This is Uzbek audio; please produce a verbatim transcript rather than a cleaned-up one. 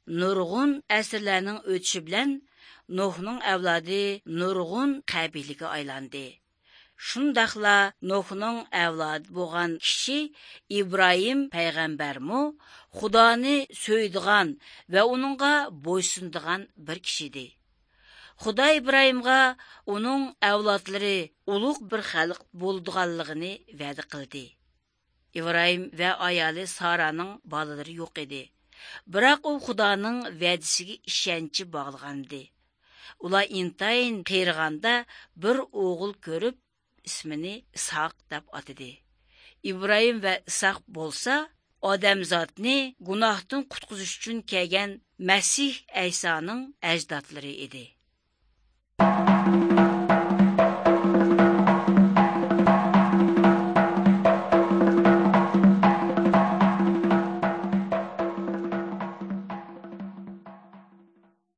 Nurg'un asrlarning o'tishi bilan Nuhning avlodi nurg'un qabilaga aylandi. Shundaqla Nuhning avlodi bo'lgan kishi Ibrohim payg'ambarmu Xudoni so'ydigan va uningga bo'ysundigan bir kishi edi. Xudo Ibrohimga uning avlodlari ulug' bir xalq bo'ldiganligini va'da qildi. Ibrohim va ayoli Saraning bolalari yo'q edi. Biroq u Xudoning va'dasiga ishonchi bog'lagandi. Ular intayin qerig'anda bir o'g'il ko'rib, ismini Ishoq deb atadi. Ibrohim va Ishoq bo'lsa, odamzodni gunohdan qutqizish uchun kelgan Masih Aysoning ajdodlari edi.